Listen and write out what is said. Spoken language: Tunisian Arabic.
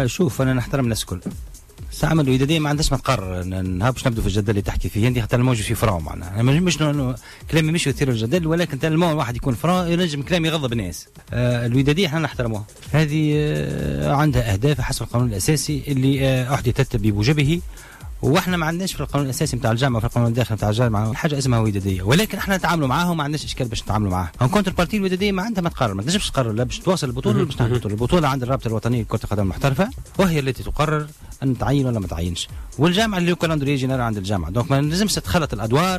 شوف، انا نحترم الناس الكل. ساعة الودادية ما عندهاش ما تقرر. نهار باش نبدو في الجدل اللي تحكي فيه انت، خاطر je suis franc، معناها انا مش كلامي مش يثير الجدل، ولكن tellement واحد يكون franc ينجم كلامي يغضب الناس. الودادية احنا نحترموها، هذه عندها اهداف حسب القانون الاساسي اللي احدثت بموجبه، واحنا ما عندناش في القانون الاساسي نتاع الجامعه، في القانون الداخلي نتاع الجامعه، حاجة اسمها وداديه، ولكن احنا نتعاملوا معاهم، ما عندناش اشكال باش نتعاملوا معاها. en contrepartie الوداديه ما عندها ما تقرر، ما تنجمش تقرر لا باش تواصل البطولة ولا باش تنحي البطوله. البطولة عند الرابطة الوطنية لكرة القدم المحترفه، وهي التي تقرر ان تعين ولا ما تعينش، والجامعة اللي calendrier général عند الجامعه، donc ما لازمش تتخلط الادوار.